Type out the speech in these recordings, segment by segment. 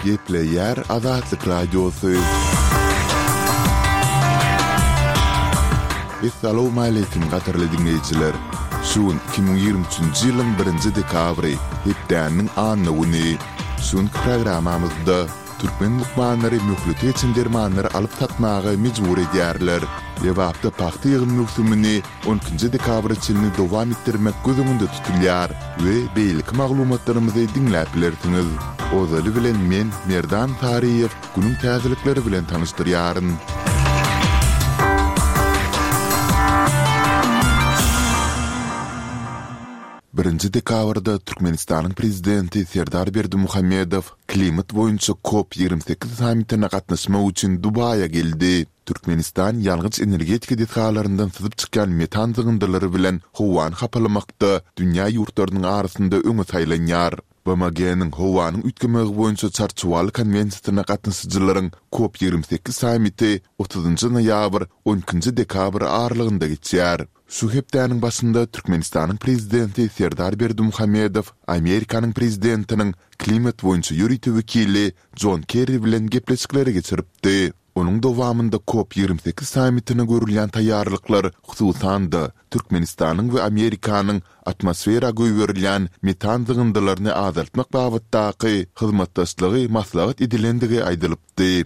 Gepleýär Azatlyk Radiosy. Essalawmaleýkim gadyrly diňleýjiler! Şu gün 2023-nji ýylyň birinji dekabry, hepdäniň anna güni. Şu günki programmamyzda türkmen lukmanlary möhleti geçen dermanlary alyp satmaga mejbur edýärler. Lebapda pagta ýygym möwsümini on ikinji dekabra çenli dowam etdirmek göz öňünde tutulýar we beýleki maglumatlarymyzy diňläp bilersiňiz. Ozaly bilen men, Merdan Saryýew, günüň täzelikleri bilen tanyşdyrýaryn. Birinji dekabrda Türkmenistanyň Prezidenti Serdar Berdimuhamedow klimat boýunça Kop 28 sammitine gatnaşmak üçin Dubaýa geldi. Türkmenistan ýangyç-energetika desgalaryndan syzyp çykýan metan zyňyndylary bilen howany hapalamakda dünýä ýurtlarynyň arasynda öňe saýlanýar. BMG-niň Howanyň üýtgemegi boýunça Çarçuwaly konwensiýasyna gatnaşyjylaryň Kop 28 sammiti otuzynjy noýabr, on ikinji dekabr aralygynda geçýär. Şu hepdäniň başynda Türkmenistanyň Prezidenti Serdar Berdimuhamedow Amerikanyň Prezidentiniň klimat boýunça ýörite wekili Jon Kerri bilen gepleşikleri geçiripdi. Onuň dowamynda Kop 28 sammitine görülýän taýýarlyklar, hususan-da, Türkmenistanyň we Amerikanyň atmosfera goýberilýän metan zyňyndylaryny azaltmak babatdaky hyzmatdaşlygy maslahat edilendigi aýdylypdy.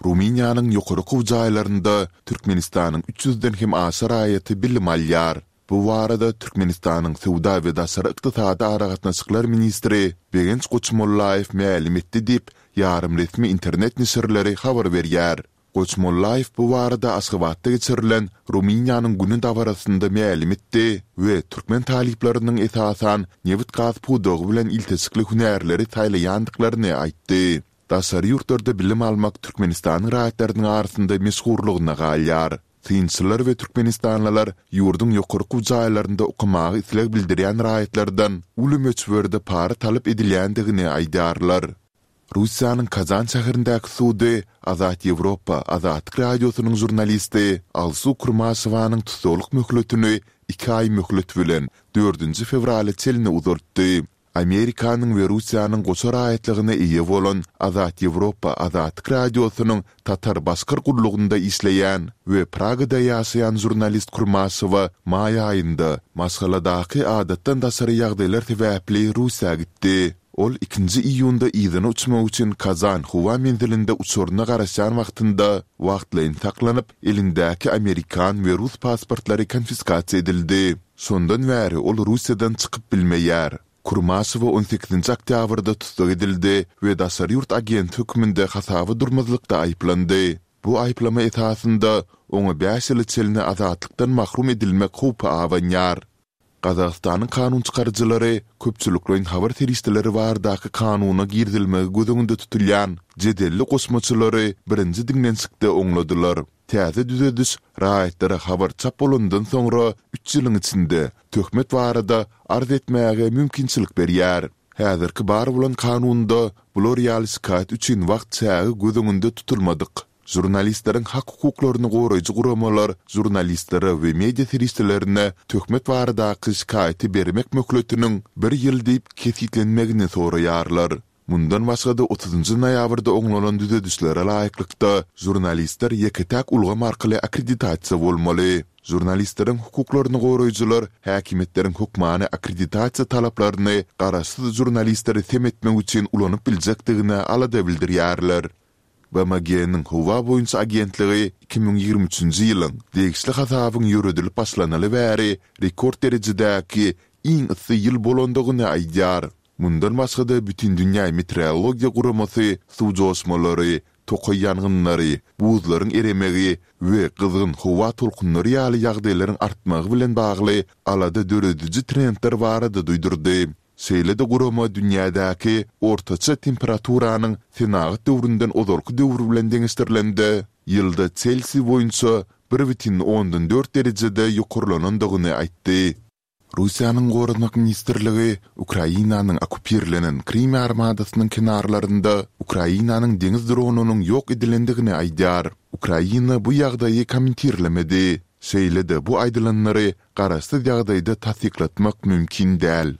Rumyniýanyň ýokary okuw jaýlarynda Türkmenistanyň üç ýüzden hem aşa raýaty bilim alýar. Bu barada Türkmenistanyň söwda we daşary ykdysady aragatnaşyklar ministri Begenç Goçmollaýew mälim etdi diýip, ýarym resmi internet neşirleri habar berýär. Goçmollaýew bu barada Aşgabatda geçirilen Rumyniýanyň güni dabarasynda mälim etdi we türkmen talyplarynyň esasan nebit-gaz pudagy bilen ilteşikli hünärleri saýlaýandyklaryny aýtdy. Daşary ýurtlarda bilim almak Türkmenistanyň raýatlarynyň arasynda meşhurlygyna galýar. Synçylar we türkmenistanlylar ýurduň ýokary okuw jaýlarynda okamaga isleg bildirýän raýatlardan uly möçberde para talap edilýändigini aýdýarlar. Russiýanyň Kazan şäherindäki sudy Azat Ýewropa Azatlyk Radiosynyň žurnalisti Alsu Kurmaşewanyň tussaglyk möhletini iki aý möhlet bilen, dördünji fewrala çenli uzaltdy. Amerikanyň we Russiýanyň goşa raýatlygyna eýe bolan Azat Ýewropa Azatlyk Radiosynyň Tatar-Başkyr gullugynda işleýän we Pragada ýaşaýan žurnalist Kurmaşewa maý aýynda maşgaladaky adatdan daşary ýagdaýlar sebäpli Russiýa gitdi. Ol ikinji iýunda yzyna uçmak üçin Kazan howa menzilinde uçaryna garaşýan wagtynda wagtlaýyn saklanyp, elindäki amerikan we rus pasportlary konfiskasiýa edildi. Şondan bäri ol Russiýadan çykyp bilmeýär. Kurmaşewa on sekizinji oktýabrda tussag edildi we daşary ýurt agenti hökmünde hasaba durmazlykda aýyplandy. Bu aýyplama esasynda oňa bäş ýyla çenli azatlykdan mahrum edilmek howpy abanýar. Gazagystanyň kanunçykaryjylary köpçülikleýin habar serişdeleri baradaky kanuna girizilmegi göz öňünde tutulýan jedelli goşmaçalary birinji diňlenişikde oňladylar. Täze düzediş raýatlara habar çap bolandan soňra üç ýylyň içinde töhmet barada arz etmäge mümkinçilik berýär. Häzirki bar bolan kanunda bular ýaly şikaýat üçin wagt çägi göz öňünde tutulmadyk. Žurnalistleriň hak-hukuklaryny goraýjy guramalar žurnalistlere we media serişdelerine töhmet baradaky şikaýaty bermek möhletiniň bir ýyl diýip kesgitlenmegini soraýarlar. Mundan başga-da otuzynjy noýabrda oňlanan düzedişlere laýyklykda, žurnalistler ýeke-täk ulgam arkaly akkreditasiýa bolmaly. Žurnalistleriň hukuklaryny goraýjylar häkimiýetleriň hökmany akkreditasiýa talaplaryny garaşsyz žurnalistleri sem etmek üçin ulanyp biljekdigine alada bildirýärler. BMG-niň Howa boýunça agentligi 2023-nji ýylyň degişli hasabyň ýöredilip başlanaly bäri rekord derejedäki iň yssy ýyl bolandygyny aýdýar. Mundan başga-da Bütindünýä meteorologiýa guramasy suw joşmalary, tokaý ýangynlary, buzlaryň eremegi we gyzgyn howa tolkunlary ýaly ýagdaýlaryň artmagy bilen bagly alada dörediji trendler barada duýdurdy. Şeýle-de gurama dünýädäki ortaça temperaturanyň senagat döwründen ozalky döwür bilen deňeşdirilende, ýylda Selsiý boýunça bir bütin ondan dört derejede ýokarlanandygyny aýtdy. Russiýanyň Goranmak ministrligi Ukrainanyň okkupirlenen Krym ýarymadasynyň kenarlarynda Ukrainanyň deňiz dronynyň ýok edilendigini aýdýar. Ukraina bu ýagdaýy kommentirlemedi. Şeýle-de bu aýdylanlary garaşsyz ýagdaýda tassyklatmak mümkin däl.